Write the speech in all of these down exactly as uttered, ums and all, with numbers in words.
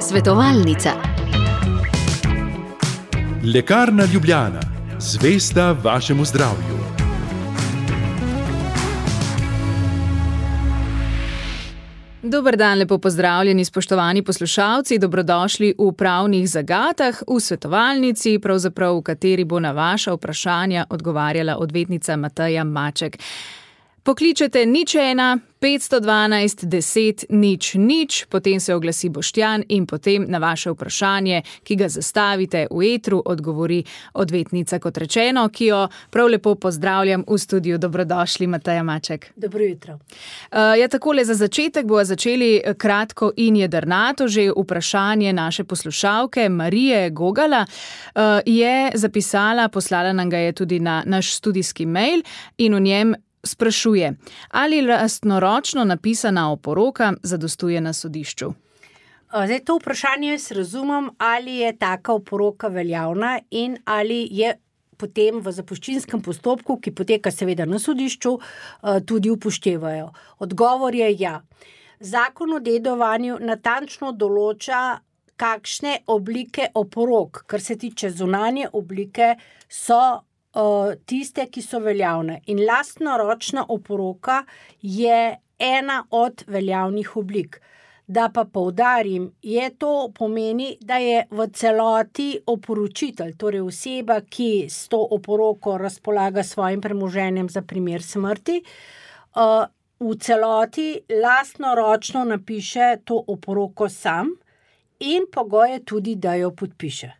Svetovalnica. Lekarna Ljubljana, zvesta vašemu zdravju. Dober dan, lepo pozdravljeni, spoštovani poslušalci, dobrodošli v Pravnih zagatah, v svetovalnici, pravzaprav v kateri bo na vaša vprašanja odgovarjala odvetnica Mateja Maček. Pokličete nič ena, petsto dvanajst, deset, nič, nič, potem se oglasi Boštjan in potem na vaše vprašanje, ki ga zastavite v etru, odgovori odvetnica, kot rečeno, ki jo prav lepo pozdravljam v studiu. Dobrodošli, Mateja Maček. Dobro jutro. Uh, ja, takole za začetek bomo začeli kratko in jedrnato. Že vprašanje naše poslušalke Marije Gogala uh, je zapisala, poslala nam ga je tudi na naš studijski mail in v njem sprašuje, ali lastnoročno napisana oporoka zadostuje na sodišču? Zdaj, to vprašanje jaz razumem, ali je taka oporoka veljavna in ali je potem v zapuščinskem postopku, ki poteka seveda na sodišču, tudi upoštevajo. Odgovor je ja. Zakon o dedovanju natančno določa, kakšne oblike oporok, kar se tiče zunanje oblike, so tiste, ki so veljavne. In lastnoročna oporoka je ena od veljavnih oblik. Da pa poudarim, je to pomeni, da je v celoti oporočitelj, torej oseba, ki s to oporoko razpolaga svojim premoženjem za primer smrti, v celoti lastnoročno napiše to oporoko sam in pogoj je tudi, da jo podpiše.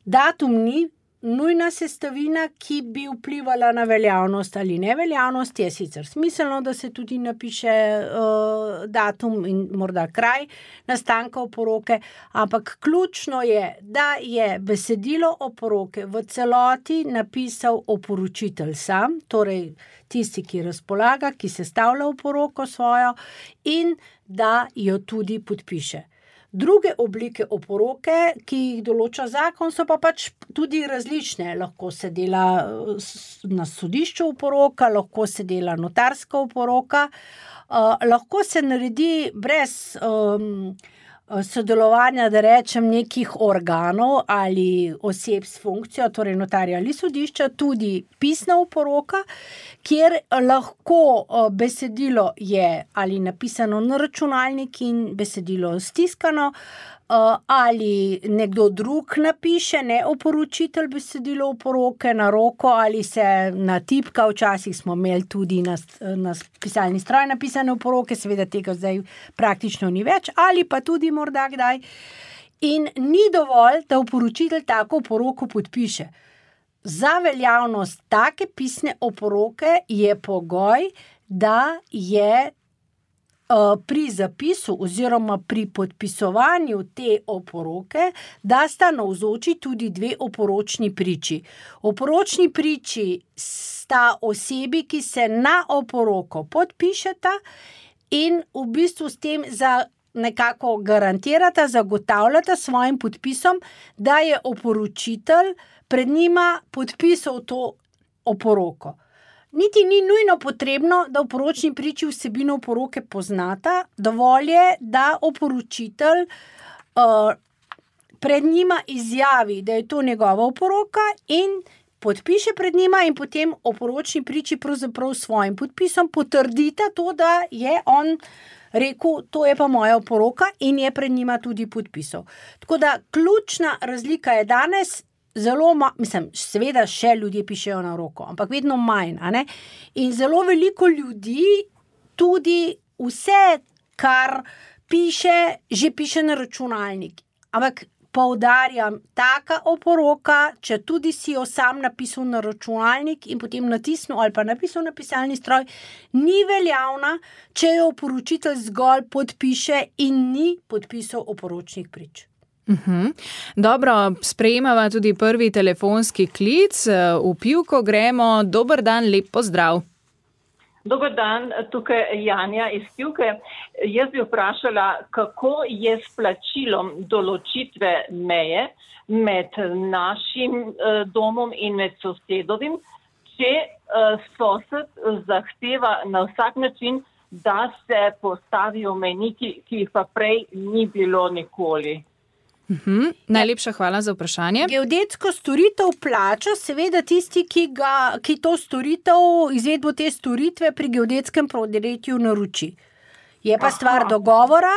Datum ni nujna sestavina, ki bi vplivala na veljavnost ali neveljavnost. Je sicer smiselno, da se tudi napiše uh, datum in morda kraj nastanka oporoke, ampak ključno je, da je besedilo oporoke v celoti napisal oporočitelj sam, torej tisti, ki razpolaga, ki sestavlja oporoko svojo in da jo tudi podpiše. Druge oblike oporoke, ki jih določa zakon, so pa pač tudi različne. Lahko se dela na sodišču oporoka, lahko se dela notarska oporoka, uh, lahko se naredi brez um, sodelovanja, da rečem, nekih organov ali oseb s funkcijo, torej notarja ali sodišča, tudi pisna oporoka, kjer lahko besedilo je ali napisano na računalnik in besedilo stiskano, ali nekdo drug napiše, ne oporočitelj, besedilo oporoke na roko ali se natipka. Včasih smo imeli tudi na, na pisalni stroj napisane oporoke, seveda tega zdaj praktično ni več, ali pa tudi morda kdaj. In ni dovolj, da oporočitelj tako oporoko podpiše. Za veljavnost take pisne oporoke je pogoj, da je pri zapisu oziroma pri podpisovanju te oporoke, da sta navzoči tudi dve oporočni priči. Oporočni priči sta osebi, ki se na oporoko podpišeta in v bistvu s tem za nekako garantirata, zagotavljata svojim podpisom, da je oporočitelj pred njima podpisal to oporoko. Niti ni nujno potrebno, da v poročni priči vsebino oporoke poznata, dovolj je, da oporočitelj uh, pred njima izjavi, da je to njegova oporoka in podpiše pred njima in potem oporočni priči pravzaprav s svojim podpisom potrdita to, da je on rekel, to je pa moja oporoka in je pred njima tudi podpisal. Tako da ključna razlika je danes, zelo, ma, mislim, seveda še ljudje pišejo na roko, ampak vedno manj, a ne? In zelo veliko ljudi tudi vse, kar piše, že piše na računalnik. Ampak poudarjam, taka oporoka, če tudi si jo sam napisal na računalnik in potem natisnil ali pa napisal na pisalni stroj, ni veljavna, če jo oporočitelj zgolj podpiše in ni podpisal oporočnih prič. Uhum. Dobro, sprejemava tudi prvi telefonski klic. V Pivko gremo. Dober dan, lep pozdrav. Dober dan, tukaj Janja iz Pivke. Jaz bi vprašala, kako je s plačilom določitve meje med našim domom in med sosedovim, če sosed zahteva na vsak način da se postavijo mejniki, ki jih pa prej ni bilo nikoli. Uhum. Najlepša hvala za vprašanje. Geodetsko storitev plača seveda tisti, ki, ga, ki to storitev, izvedbo te storitve pri geodetskem podjetju naroči. Je pa stvar dogovora,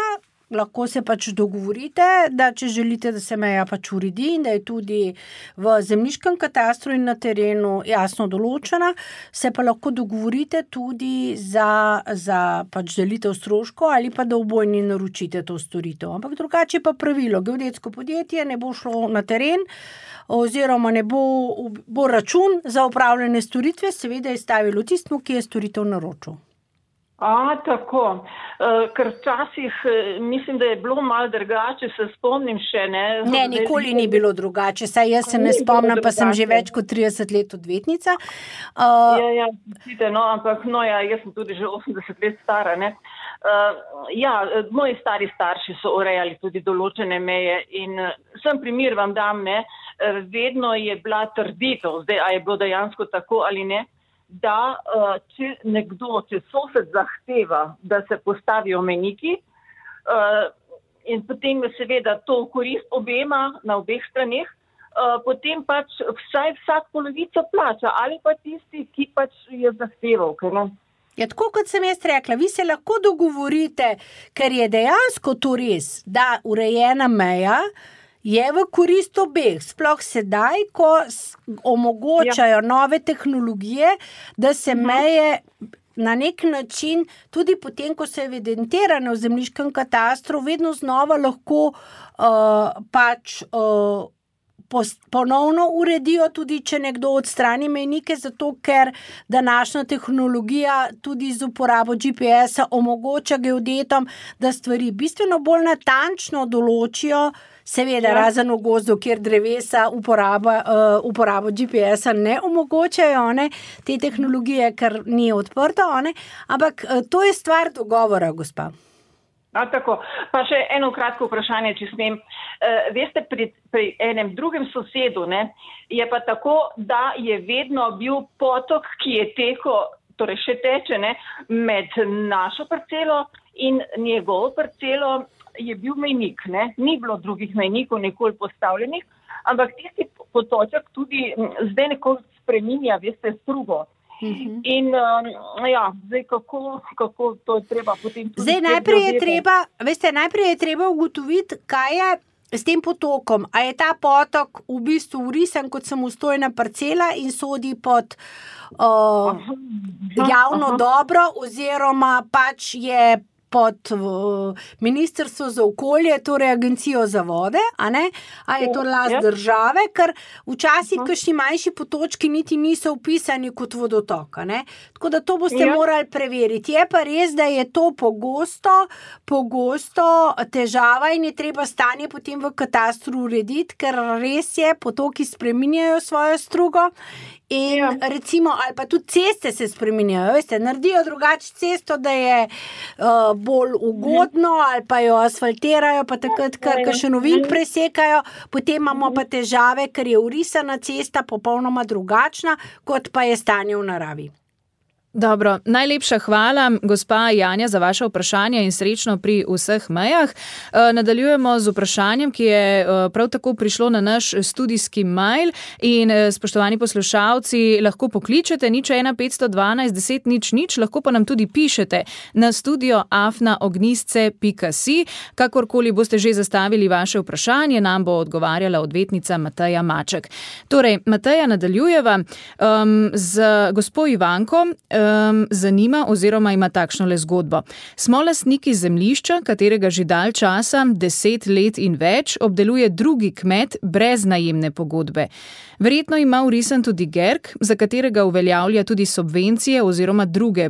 lahko se pač dogovorite, da če želite, da se meja pač uredi in da je tudi v zemljiškem katastru in na terenu jasno določena, se pa lahko dogovorite tudi za, za pač delitev stroškov ali pa da obojni naročite to storitev. Ampak drugače pa pravilo, geodetsko podjetje ne bo šlo na teren oziroma ne bo, bo račun za opravljene storitve seveda izstavilo tistmu, ki je storitev naročil. A, tako, uh, ker včasih mislim, da je bilo malo drugače, se spomnim še, ne? Ne, nikoli ni bilo drugače, saj jaz se ne spomnim, pa sem že več kot trideset let odvetnica. Uh, ja, ja, vidite, no, ampak no, ja, jaz sem tudi že osemdeset let stara, ne. Uh, ja, moji stari starši so urejali tudi določene meje in uh, sem primer vam dam, ne, uh, vedno je bila trditev, zdaj, a je bilo dejansko tako ali ne, da če nekdo, če sosed zahteva, da se postavijo mejniki in potem seveda to v korist obema na obeh straneh, potem pač vsaj vsak polovico plača ali pa tisti, ki pač je zahteval. Ja, tako kot sem jaz rekla, vi se lahko dogovorite, ker je dejansko to res, da urejena meja je v korist obeh, sploh sedaj, ko omogočajo ja. nove tehnologije, da se meje na nek način, tudi potem, ko so evidentirane v zemljiškem katastru, vedno znova lahko uh, pač uh, ponovno uredijo, tudi če nekdo odstrani mejnike, zato ker današnja tehnologija tudi z uporabo G P S-a omogoča geodetom, da stvari bistveno bolj natančno določijo, seveda ja. razen v gozdu, kjer drevesa uporaba, uh, uporabo G P S-a ne omogočajo, ne, te tehnologije, ker ni odprto, ne, ampak uh, to je stvar dogovora, gospa. A, tako. Pa še eno kratko vprašanje, če smem. E, veste, pri, pri enem drugem sosedu, ne, je pa tako, da je vedno bil potok, ki je tekel, torej še teče, ne, med našo parcelo in njegovo parcelo je bil mejnik, ne. Ni bilo drugih mejnikov nikoli postavljenih, ampak tisti potoček tudi zdaj nekoliko spreminja, veste, strugo. Uh-huh. In uh, ja, zdaj kako, kako to je treba potem tudi... Zdaj najprej je treba, veste, najprej je treba ugotoviti, kaj je s tem potokom. A je ta potok v bistvu urisan kot samostojna parcela in sodi pod uh, javno dobro oziroma pač je pod uh, Ministrstvo za okolje, torej Agencijo za vode, a ne? A je to last ja. države, ker včasih kakšni manjši potočki niti niso upisani kot vodotok, a ne? Tako da to boste ja. morali preveriti. Je pa res, da je to pogosto, pogosto težava in je treba stanje potem v katastru urediti, ker res je, potoki spreminjajo svojo strugo. In ja. recimo, ali pa tudi ceste se spreminjajo, veste, naredijo drugače cesto, da je uh, bolj ugodno, ali pa jo asfaltirajo, pa takrat, ker še novink presekajo, potem imamo pa težave, ker je urisana cesta popolnoma drugačna, kot pa je stanje v naravi. Dobro, najlepša hvala, gospa Janja, za vaše vprašanje in srečno pri vseh mejah. Nadaljujemo z vprašanjem, ki je prav tako prišlo na naš studijski mail in spoštovani poslušalci, lahko pokličete nič ena petsto dvanajst deset nič nič, lahko pa nam tudi pišete na studio afna ognjisce pika si. Kakorkoli boste že zastavili vaše vprašanje, nam bo odgovarjala odvetnica Mateja Maček. Torej, Mateja, nadaljujeva um, z gospo Ivanko. Um, zanima oziroma ima takšno le zgodbo. Smo lastniki zemljišča, katerega že dalj časa, deset let in več, obdeluje drugi kmet brez najemne pogodbe. Verjetno ima vrisan tudi Gerk, za katerega uveljavlja tudi subvencije oziroma druge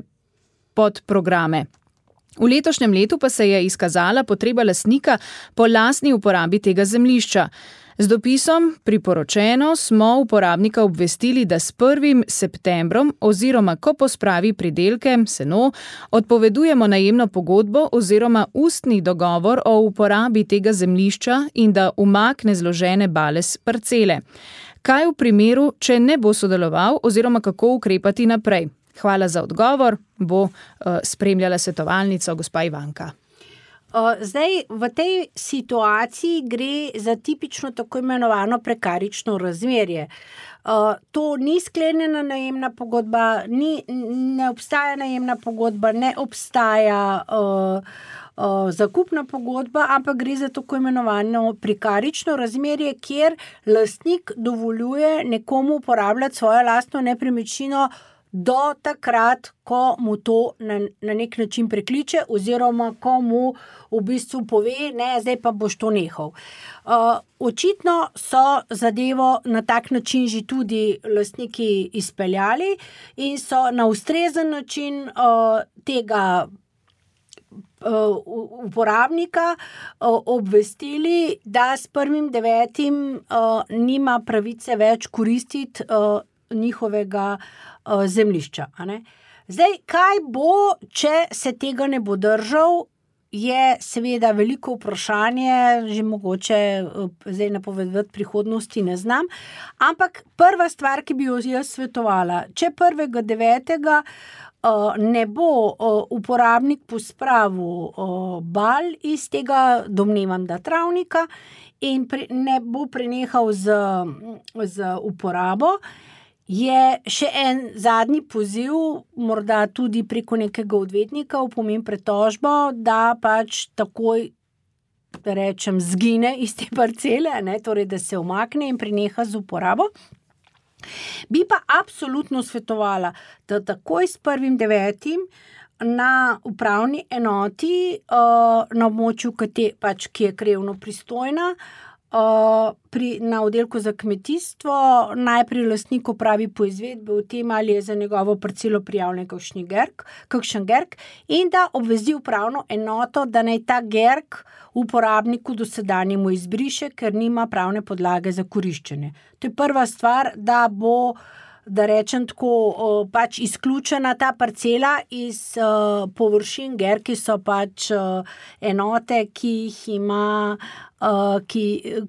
podprograme. V letošnjem letu pa se je izkazala potreba lastnika po lastni uporabi tega zemljišča. Z dopisom priporočeno smo uporabnika obvestili, da s prvim septembrom oziroma ko pospravi pridelke, seno, odpovedujemo najemno pogodbo oziroma ustni dogovor o uporabi tega zemljišča in da umakne zložene bale s parcele. Kaj v primeru, če ne bo sodeloval oziroma kako ukrepati naprej? Hvala za odgovor, bo uh, spremljala svetovalnico gospa Ivanka. Zdaj, v tej situaciji gre za tipično tako imenovano prekarično razmerje. To ni sklenjena najemna pogodba, ni, ne obstaja najemna pogodba, ne obstaja uh, uh, zakupna pogodba, ampak gre za tako imenovano prekarično razmerje, kjer lastnik dovoljuje nekomu uporabljati svojo lastno nepremičnino do takrat, ko mu to na, na nek način prekliče oziroma ko mu v bistvu pove, ne, zdaj pa boš to nehal. Uh, očitno so zadevo na tak način že tudi lastniki izpeljali in so na ustrezen način uh, tega uh, uporabnika uh, obvestili, da s prvim devetim uh, nima pravice več koristiti uh, njihovega uh, zemljišča. A ne? Zdaj, kaj bo, če se tega ne bo držal, je seveda veliko vprašanje, že mogoče uh, zdaj napovedati prihodnosti ne znam, ampak prva stvar, ki bi jo jaz svetovala, če prvega devetega uh, ne bo uh, uporabnik pospravil uh, bal iz tega, domnevam, da travnika, in pre, ne bo prenehal z, z uporabo, je še en zadnji poziv, morda tudi preko nekega odvetnika, v pomen pretožbo, da pač takoj, da rečem, zgine iz te parcele, ne, torej, da se umakne in preneha z uporabo. Bi pa absolutno svetovala, da takoj s prvim devetim na upravni enoti uh, na območju, ki, pač, ki je krajevno pristojna, Uh, pri, na oddelku za kmetijstvo najprej lastnik opravi poizvedbe o tem, ali je za njegovo parcelo prijavljen kakšen gerk, kakšen gerk in da obvesti upravno enoto, da naj ta gerk uporabniku dosedanjemu izbriše, ker nima pravne podlage za koriščenje. To je prva stvar, da bo, da rečem tako, uh, pač izključena ta parcela iz uh, površin. Gerki so pač uh, enote, ki jih ima Uh, ki,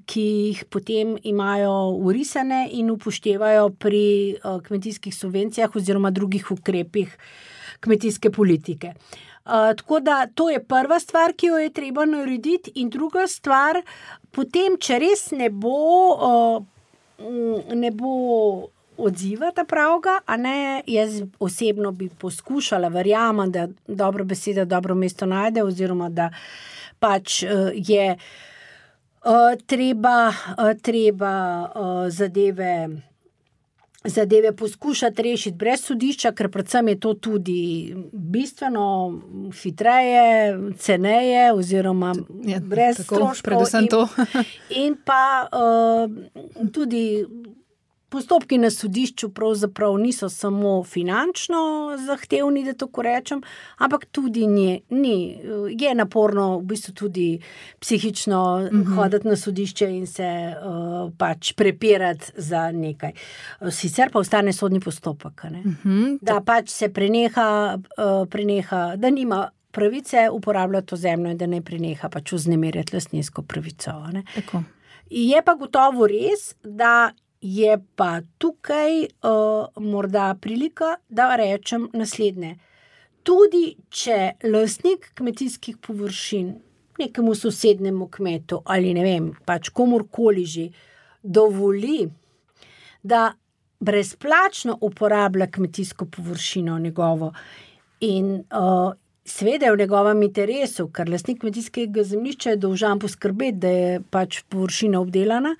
ki jih potem imajo urisane in upoštevajo pri uh, kmetijskih subvencijah oziroma drugih ukrepih kmetijske politike. Uh, tako da to je prva stvar, ki jo je treba narediti, in druga stvar, potem, če res ne bo, uh, ne bo odziva ta pravga, a ne, jaz osebno bi poskušala, verjamem, da dobro beseda dobro mesto najde oziroma da pač uh, je Uh, treba, uh, treba uh, zadeve, zadeve poskušati rešiti brez sodišča, ker predvsem je to tudi bistveno hitreje, ceneje oziroma ja, brez tako, stroškov. Predvsem to. in, in pa uh, tudi postopki na sodišču pravzaprav niso samo finančno zahtevni, da tako rečem, ampak tudi ni, ni, je naporno v bistvu tudi psihično uh-huh. hoditi na sodišče in se uh, pač prepirati za nekaj. Sicer pa ostane sodni postopek, ne? Uh-huh. Da pač se preneha, uh, preneha, da nima pravice uporabljati to zemljo in da ne preneha pač vznemirjati lastninsko pravico. Ne? Tako. Je pa gotovo res, da je pa tukaj uh, morda prilika, da rečem naslednje. Tudi če lastnik kmetijskih površin nekemu sosednemu kmetu ali ne vem, pač komurkoli že dovoli, da brezplačno uporablja kmetijsko površino njegovo in uh, seveda je v njegovem interesu, ker lastnik kmetijskega zemljišča je dolžan poskrbeti, da je pač površina obdelana,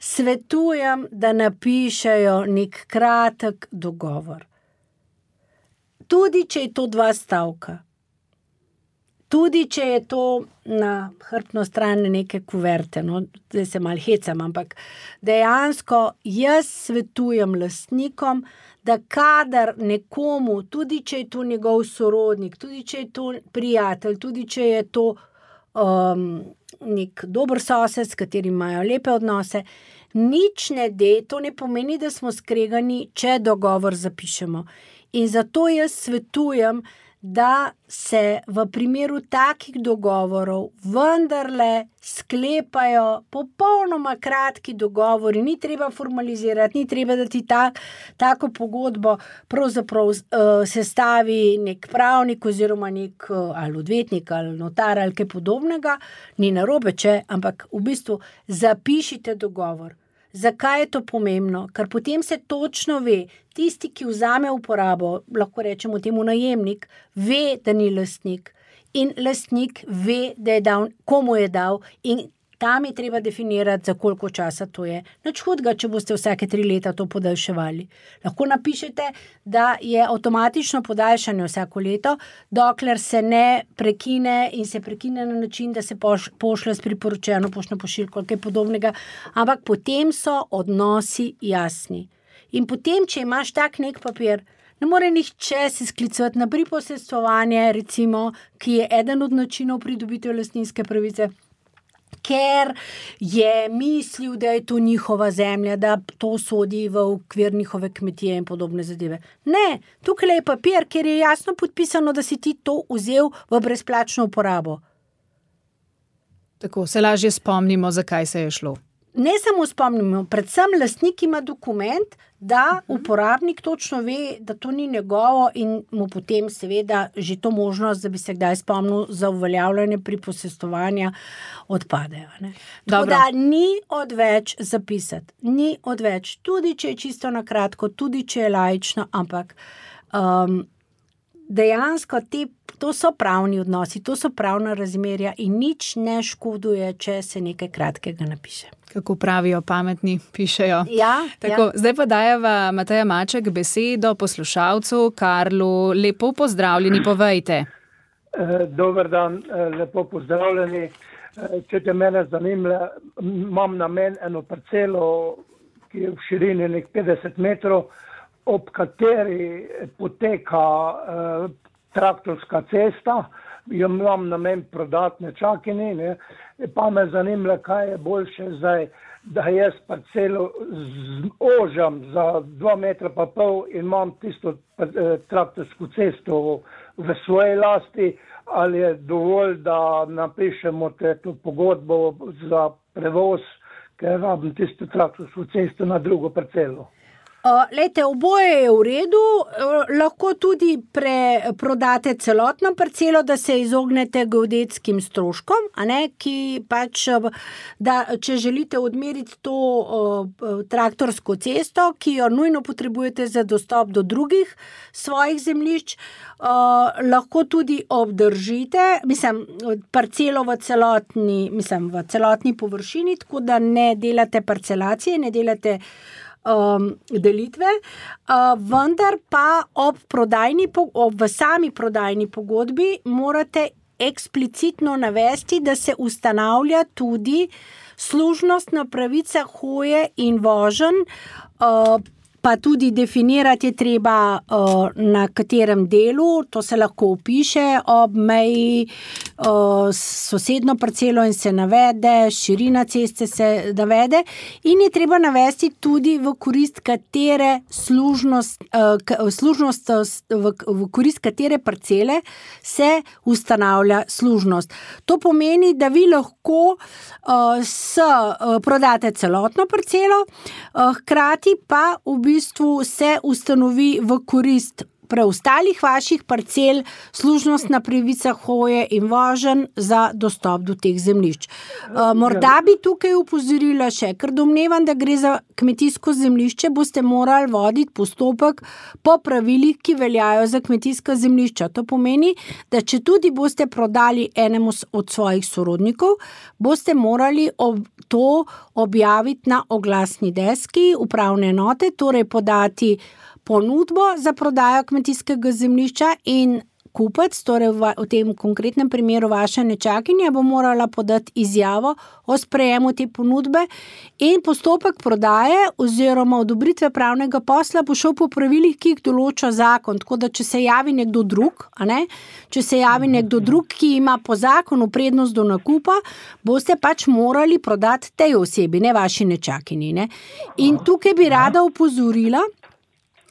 svetujem, da napišejo nek kratek dogovor. Tudi, če je to dva stavka. Tudi, če je to na hrbtno stran neke kuverte. No, zdaj se malo hecam, ampak dejansko jaz svetujem lastnikom, da kadar nekomu, tudi če je to njegov sorodnik, tudi če je to prijatelj, tudi če je to um, nek dober sosed, s katerim imajo lepe odnose, nič ne de, to ne pomeni, da smo skregani, če dogovor zapišemo. In zato jaz svetujem, da se v primeru takih dogovorov vendarle sklepajo popolnoma kratki dogovori, ni treba formalizirati, ni treba, da ti ta, tako pogodbo pravzaprav uh, sestavi nek pravnik oziroma nek uh, ali odvetnik ali notar ali kaj podobnega, ni narobe, če, ampak v bistvu zapišite dogovor. Zakaj je to pomembno? Ker potem se točno ve, tisti, ki vzame uporabo, lahko rečemo temu najemnik, ve, da ni lastnik in lastnik ve, da je dal, komu je dal in tam je treba definirati, za koliko časa to je. Nič hudega, če boste vsake tri leta to podaljševali. Lahko napišete, da je avtomatično podaljšanje vsako leto, dokler se ne prekine in se prekine na način, da se poš, pošle s priporočeno poštno pošiljko ali kaj podobnega, ampak potem so odnosi jasni. In potem, če imaš tak nek papir, ne more nihče se sklicovati na priposestvovanje, recimo, ki je eden od načinov pridobitev lastninske pravice, ker je mislil, da je to njihova zemlja, da to sodi v okvir njihove kmetije in podobne zadeve. Ne, tukaj je papir, kjer je jasno podpisano, da si ti to vzel v brezplačno uporabo. Tako se lažje spomnimo, zakaj se je šlo. Ne samo spomnimo, predvsem lastnik ima dokument, da uporabnik točno ve, da to ni njegovo in mu potem seveda že to možnost, da bi se kdaj spomnil za uveljavljanje priposestovanja odpadejo. Ne? Tako da ni odveč zapisati, ni odveč, tudi če je čisto na kratko, tudi če je laično, ampak um, dejansko te, to so pravni odnosi, to so pravna razmerja in nič ne škoduje, če se nekaj kratkega napiše. Kako pravijo pametni, pišejo. Ja, Tako, ja. Zdaj pa dajeva Mateja Maček besedo poslušalcu Karlu. Lepo pozdravljeni, povejte. Dober dan, lepo pozdravljeni. Če te mene zanimlja, imam namen eno parcelo, ki je v širini nek petdeset metrov, ob kateri poteka eh, traktorska cesta, jo imam namen prodati nečakini, ne, pa me zanimlja, kaj je boljše zdaj, da jaz parcelo ožam za dva metra pa pol in imam tisto eh, traktorsko cesto v svoji lasti, ali je dovolj, da napišemo to pogodbo za prevoz, ker rabim tisto traktorsko cesto na drugo parcelo. Uh, lejte, oboje je v redu, uh, lahko tudi pre, prodate celotno parcelo, da se izognete geodetskim stroškom, a ne, ki pač, da če želite odmeriti to uh, traktorsko cesto, ki jo nujno potrebujete za dostop do drugih svojih zemljišč, uh, lahko tudi obdržite, mislim, parcelo v celotni, mislim, v celotni površini, tako da ne delate parcelacije, ne delate Um, delitve, uh, vendar pa ob prodajni, ob, v sami prodajni pogodbi morate eksplicitno navesti, da se ustanavlja tudi služnostna pravica hoje in voženj, uh, pa tudi definirati je treba, uh, na katerem delu, to se lahko opiše ob meji uh, sosedno parcelo in se navede, širina ceste se navede in je treba navesti tudi v korist katere služnost, uh, služnost v, v korist katere parcele se ustanavlja služnost. To pomeni, da vi lahko uh, s, uh, prodate celotno parcelo, uh, hkrati pa v bistvu V bistvu se ustanovi v korist preostalih vaših parcel služnostna pravica hoje in voženj za dostop do teh zemljišč. Uh, morda bi tukaj upozorila še, ker domnevam, da gre za kmetijsko zemljišče, boste morali voditi postopek po pravilih, ki veljajo za kmetijska zemljišča. To pomeni, da če tudi boste prodali enemu od svojih sorodnikov, boste morali ob to objaviti na oglasni deski upravne enote, torej podati ponudbo za prodajo kmetijskega zemljišča in kupec, torej v, v tem konkretnem primeru vaša nečakinja, bo morala podati izjavo o sprejemu te ponudbe in postopek prodaje oziroma odobritve pravnega posla bo šel po pravilih, ki jih določa zakon. Tako da, če se javi nekdo drug, a ne, če se javi nekdo drug, ki ima po zakonu prednost do nakupa, boste pač morali prodati tej osebi, ne vaši nečakinji. Ne? In tukaj bi rada opozorila,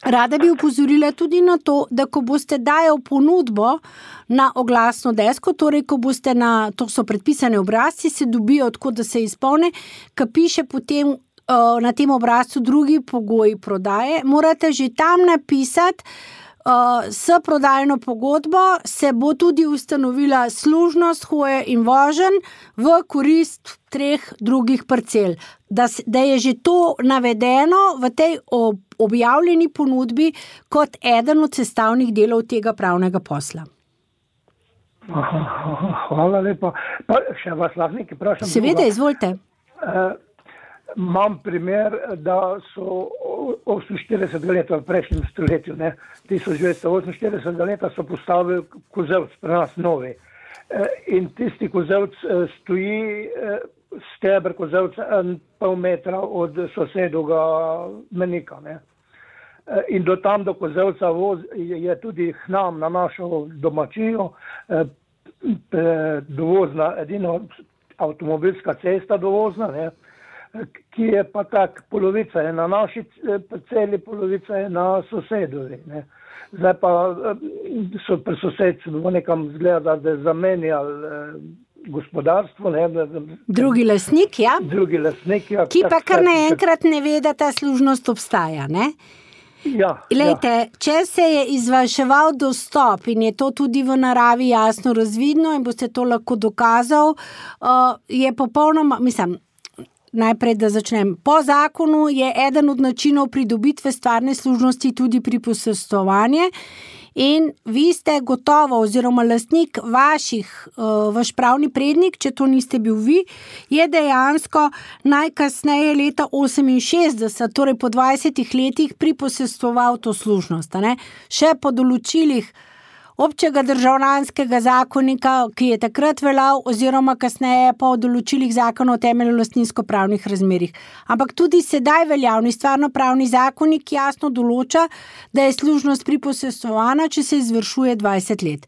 Rada bi upozorila tudi na to, da ko boste dajal ponudbo na oglasno desko, torej ko boste na, to so predpisane obrazci, se dobijo, tako da se izpolne, ka piše potem uh, na tem obrazcu drugi pogoji prodaje, morate že tam napisati, Uh, s prodajno pogodbo se bo tudi ustanovila služnost, hoje in voženj v korist treh drugih parcel. Da, da je že to navedeno v tej ob, objavljeni ponudbi kot eden od sestavnih delov tega pravnega posla. Aha, hvala lepa. Pa še vas lahko nekaj vprašam? Seveda, izvolite. Uh, Imam primer, da so oseminštiridesetega leta v prejšnjem stoletju, ne, tisoč devetsto oseminštiridesetega leta so postavili kozevc pri nas novi. In tisti kozevc stoji, steber kozevca en pol metra od sosedovega menika. Ne. In do tam do kozevca voz je tudi k nam na našo domačijo dovozna, edino avtomobilska cesta dovozna, ne, ki je pa tak, polovica je na naši parceli, polovica je na sosedovi. Ne. Zdaj pa so pri sosedci nekam zgleda, da je zamenjali gospodarstvo. Ne. Drugi lastnik, ja. Drugi lastnik, ja. Ki pa kar naenkrat ne ve, da ta služnost obstaja, ne? Ja, Lejte, ja. Če se je izvrševal dostop in je to tudi v naravi jasno razvidno in boste to lahko dokazal, uh, je popolnoma, mislim, najprej, da začnem. Po zakonu je eden od načinov pridobitve stvarne služnosti tudi priposestvovanje in vi ste gotovo oziroma lastnik vaših, uh, vaš pravni prednik, če to niste bil vi, je dejansko najkasneje leta oseminšestdeset, torej po dvajsetih letih priposestvoval to služnost. Ne? Še po določilih občega državljanskega zakonika, ki je takrat veljal, oziroma kasneje po določilih zakona o temeljno lastninsko-pravnih razmerjih. Ampak tudi sedaj veljavni stvarno-pravni zakonik jasno določa, da je služnost priposestvovana, če se izvršuje dvajset let.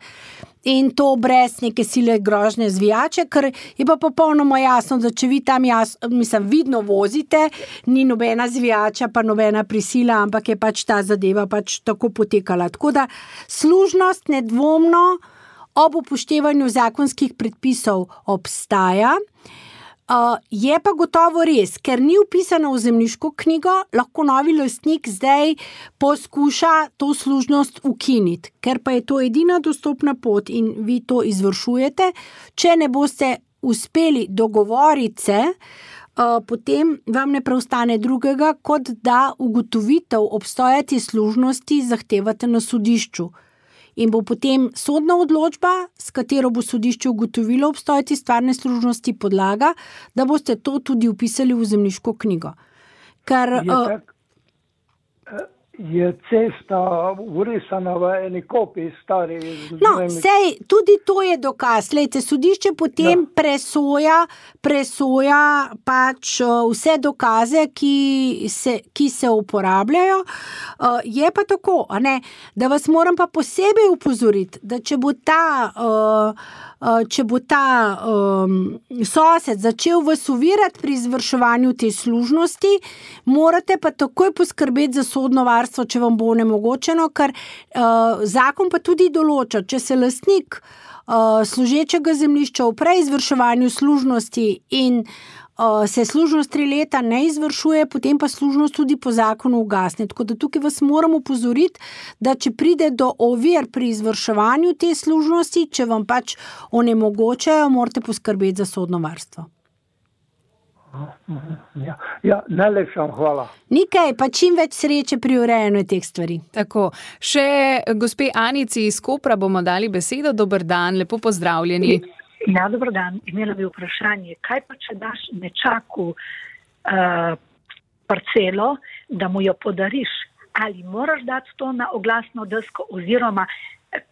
In to brez neke sile grožnje zvijače, ker je pa popolnoma jasno, da če vi tam jasno, mislim, vidno vozite, ni nobena zvijača, pa nobena prisila, ampak je pač ta zadeva pač tako potekala. Tako da služnost nedvomno ob upoštevanju zakonskih predpisov obstaja. Uh, je pa gotovo res, ker ni vpisano v zemljiško knjigo, lahko novi lastnik zdaj poskuša to služnost ukiniti, ker pa je to edina dostopna pot in vi to izvršujete. Če ne boste uspeli dogovoriti se, uh, potem vam ne preostane drugega, kot da ugotovitev obstoja te služnosti zahtevate na sodišču. In bo potem sodna odločba, s katero bo sodišče ugotovilo obstoj te stvarne služnosti, podlaga, da boste to tudi vpisali v zemljiško knjigo. Ker, je, tak, je cesta urisana v eni kopiji stari. No, sej, tudi to je dokaz. Lejte, sodišče potem ja. presoja, presoja pač vse dokaze, ki se, ki se uporabljajo. Uh, je pa tako, a ne, da vas moram pa posebej upozoriti, da če bo ta, uh, uh, če bo ta um, sosed začel vas ovirati pri izvrševanju te služnosti, morate pa takoj poskrbeti za sodno varstvo, če vam bo onemogočeno, ker uh, zakon pa tudi določa, če se lastnik uh, služečega zemljišča v preizvrševanju služnosti in Uh, se služnost tri leta ne izvršuje, potem pa služnost tudi po zakonu ugasne. Tako da tukaj vas moram upozoriti, da če pride do ovir pri izvrševanju te služnosti, če vam pač onemogočajo, morate poskrbeti za sodno varstvo. Ja, ja, najlepša hvala. Nikaj, pa čim več sreče pri urejanju teh stvari. Tako, še gospe Anici iz Kopra bomo dali besedo. Dober dan, lepo pozdravljeni. Ja, dobro dan. Imela bi vprašanje, kaj pa če daš nečaku uh, parcelo, da mu jo podariš, ali moraš dati to na oglasno desko oziroma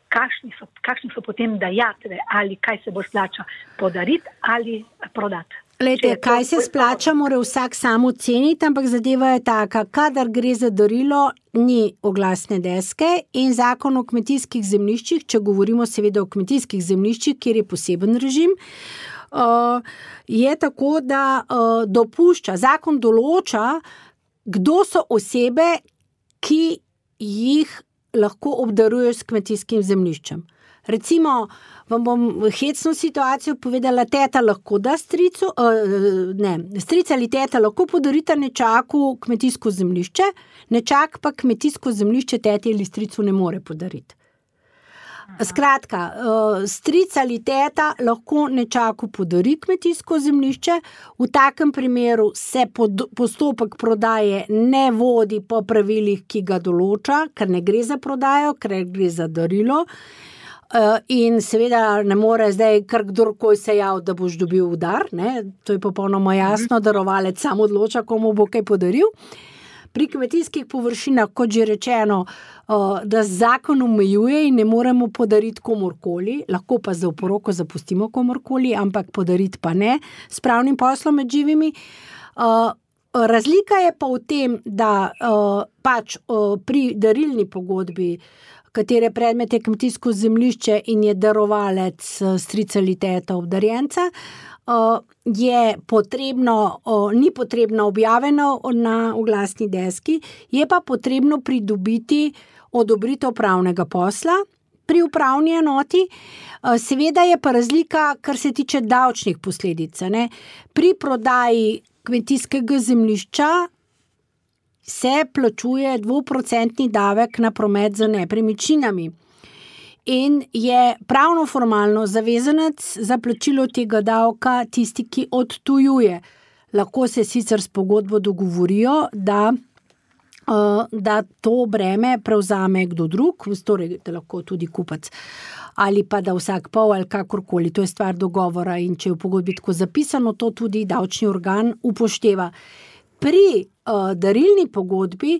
kakšni so, kakšni so potem dajatve ali kaj se bo splača podariti ali prodati? Lejte, kaj se splača, mora vsak sam oceniti, ampak zadeva je taka, kadar gre za darilo, ni oglasne deske in zakon o kmetijskih zemljiščih, če govorimo seveda o kmetijskih zemljiščih, kjer je poseben režim, je tako, da dopušča, zakon določa, kdo so osebe, ki jih lahko obdaruješ s kmetijskim zemljiščem. Recimo, vam bom hecno situacijo povedala, teta lahko da stricu, uh, ne, strica ali teta lahko podarita nečaku kmetijsko zemljišče, nečak pa kmetijsko zemljišče teti ali stricu ne more podariti. Skratka, uh, stric ali teta lahko nečaku podari kmetijsko zemljišče, v takem primeru se pod, postopek prodaje ne vodi po pravilih, ki ga določa, ker ne gre za prodajo, ker gre za darilo. In seveda ne more zdaj kar kdorkoli se jav, da boš dobil udar, ne? To je popolnoma jasno, darovalec sam odloča, komu bo kaj podaril. Pri kmetijskih površinah, kot že rečeno, da zakon omejuje in ne moremo podariti komorkoli, lahko pa za oporoko zapustimo komorkoli, ampak podariti pa ne s pravnim poslom med živimi. Razlika je pa v tem, da pač pri darilni pogodbi, katere predmet je kmetijsko zemljišče in je darovalec stric ali teta obdarjenca, je potrebno, ni potrebno objavljeno na oglasni deski, je pa potrebno pridobiti odobritev pravnega posla pri upravni enoti. Seveda je pa razlika, kar se tiče davčnih posledic, ne? Pri prodaji kmetijskega zemljišča se plačuje dvoprocentni davek na promet z nepremičninami in je pravno formalno zavezanec za plačilo tega davka tisti, ki odtujuje. Lahko se sicer s pogodbo dogovorijo, da, da to breme prevzame kdo drug, torej da lahko tudi kupac ali pa da vsak pol ali kakorkoli, to je stvar dogovora in če je v pogodbi tako zapisano, to tudi davčni organ upošteva. Pri uh, darilni pogodbi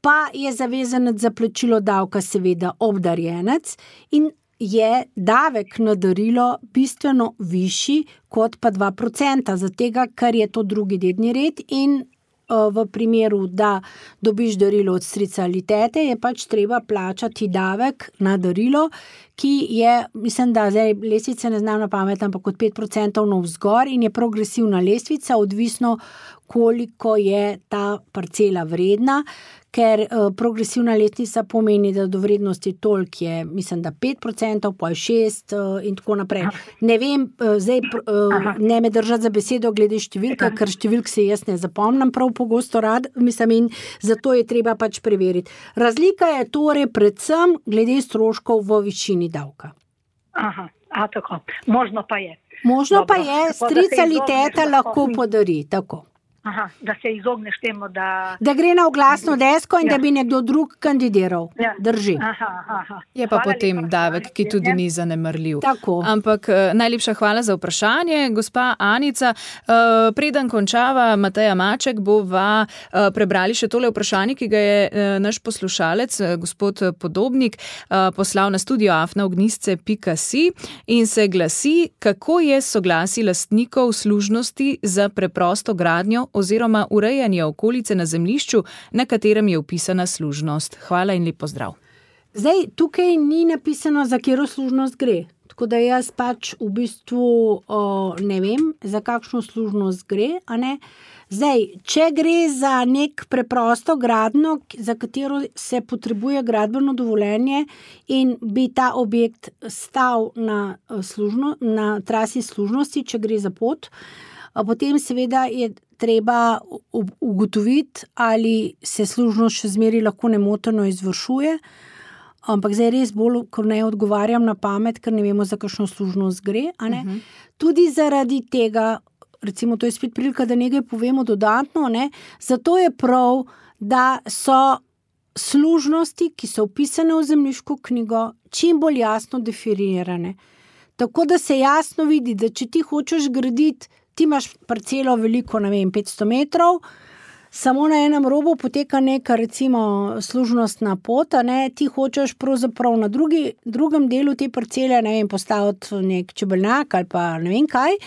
pa je zavezanec za plačilo davka seveda obdarjenec in je davek na darilo bistveno višji kot pa dva procenta, zatega, ker je to drugi dedni red in uh, v primeru, da dobiš darilo od strica ali tete, je pač treba plačati davek na darilo, ki je, mislim, da zdaj lestvice ne znam na pamet, ampak od pet procentov navzgor in je progresivna lestvica, odvisno koliko je ta parcela vredna, ker uh, progresivna lestvica pomeni, da do vrednosti toliko je, mislim, da pet procentov, pa je šest uh, in tako naprej. Ne vem, uh, zdaj uh, ne me držati za besedo glede številka, ker številk se jaz ne zapomnim prav pogosto rad, mislim, in zato je treba pač preveriti. Razlika je torej predvsem glede stroškov v višini davka. Aha, a tako. Možno pa je. Možno Dobro, pa je, stric ali teta lahko podari, tako. Aha, da se izogneš temu, da... Da gre na oglasno desko in ja. Da bi nekdo drug kandidiral. Ja. Drži. Aha, aha. Je pa Hvala potem lepa, davek, ki tudi ni zanemarljiv. Tako. Ampak najlepša hvala za vprašanje, gospa Anica. Preden končava Mateja Maček, bova prebrali še tole vprašanje, ki ga je naš poslušalec, gospod Podobnik, poslal na studio afna ognjisce pika si in se glasi, kako je soglasje lastnikov služnosti za preprosto gradnjo oziroma urejanje okolice na zemljišču, na katerem je vpisana služnost. Hvala in lep pozdrav. Zdaj, tukaj ni napisano, za katero služnost gre. Tako da jaz pač v bistvu o, ne vem, za kakšno služnost gre, a ne. Zdaj, če gre za nek preprosto gradnjo, za katero se potrebuje gradbeno dovoljenje in bi ta objekt stal na, služno, na trasi služnosti, če gre za pot, potem seveda je treba ugotoviti, ali se služnost še zmeri lahko nemoteno izvršuje, ampak zdaj res bolj, ko ne odgovarjam na pamet, ker ne vemo, za kakšno služnost gre. A ne? Uh-huh. Tudi zaradi tega, recimo to je spet prilika, da nekaj povemo dodatno, ne? Zato je prav, da so služnosti, ki so vpisane v zemljiško knjigo, čim bolj jasno definirane. Tako da se jasno vidi, da če ti hočeš graditi, ti imaš parcelo veliko, ne vem, petsto metrov, samo na enem robu poteka neka, recimo, služnostna pot, ne, ti hočeš pravzaprav na drugi, drugem delu te parcele, ne vem, postaviti nek čebelnjak ali pa ne vem kaj.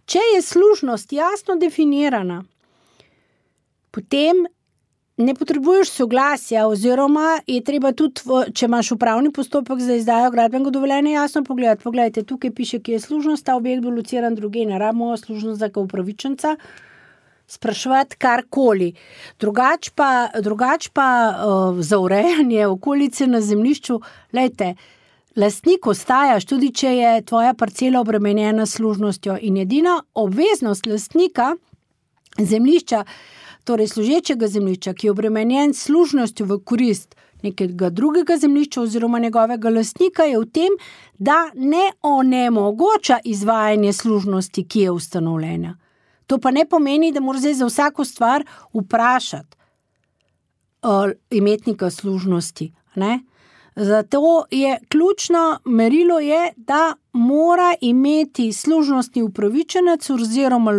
Če je služnost jasno definirana, potem ne potrebuješ soglasja oziroma je treba tudi, če imaš upravni postopek za izdajo gradbenega dovoljenja, jasno pogledati. Pogledajte, tukaj piše, ki je služnost, ta objekt bo lociran druge, ne rabimo služnost za upravičenca. spraševati karkoli. Drugač pa, drugač pa uh, za urejanje okolice na zemljišču, lejte, lastnik ostajaš, tudi če je tvoja parcela obremenjena s služnostjo in edina obveznost lastnika zemljišča, torej služečega zemljišča, ki je obremenjen s služnostjo v korist nekega drugega zemljišča oziroma njegovega lastnika, je v tem, da ne onemogoča izvajanje služnosti, ki je ustanovljena. To pa ne pomeni, da mora zdaj za vsako stvar vprašati uh, imetnika služnosti, ne? Zato je ključno merilo je, da mora imeti služnostni upravičenec oziroma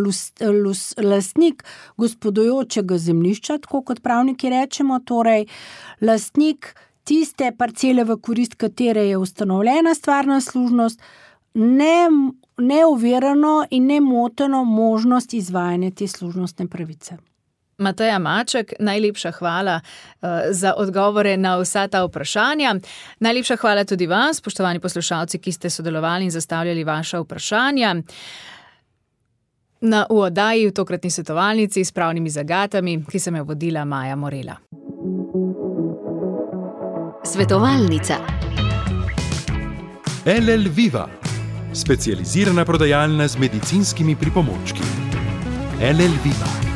lastnik gospodujočega zemljišča, tako kot pravniki rečemo, torej lastnik tiste parcele, v korist katere je ustanovljena stvarna služnost, ne, neovirano in nemoteno možnost izvajanja te služnostne pravice. Mateja Maček, najlepša hvala uh, za odgovore na vsa ta vprašanja. Najlepša hvala tudi vam, spoštovani poslušalci, ki ste sodelovali in zastavljali vaša vprašanja. Na v oddaji v tokratni svetovalnici s pravnimi zagatami, ki sem jo vodila Maja Morela. Svetovalnica. L L Viva, specializirana prodajalna z medicinskimi pripomočki. L L Viva.